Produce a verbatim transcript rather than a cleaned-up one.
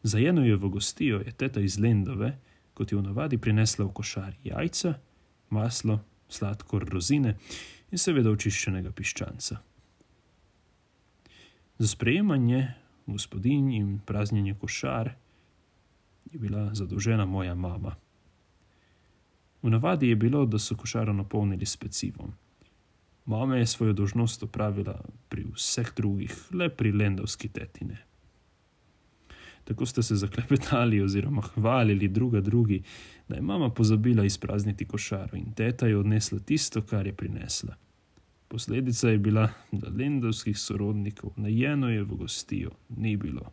Za Jenojevo gostijo je teta iz Lendove, kot je v navadi, prinesla v košari jajca, maslo, sladkor, rozine in seveda očiščenega piščanca. Za sprejemanje gospodinj in praznjenje košar je bila zadolžena moja mama. V navadi je bilo, da so košaro napolnili s pecivom. Mama je svojo dolžnost opravila pri vseh drugih, le pri lendovski teti ne. Tako ste se zaklepetali oziroma hvalili druga drugi, da je mama pozabila izprazniti košaro in teta je odnesla tisto, kar je prinesla. Posledica je bila, da lendovskih sorodnikov na Jenojevo gostijo ni bilo.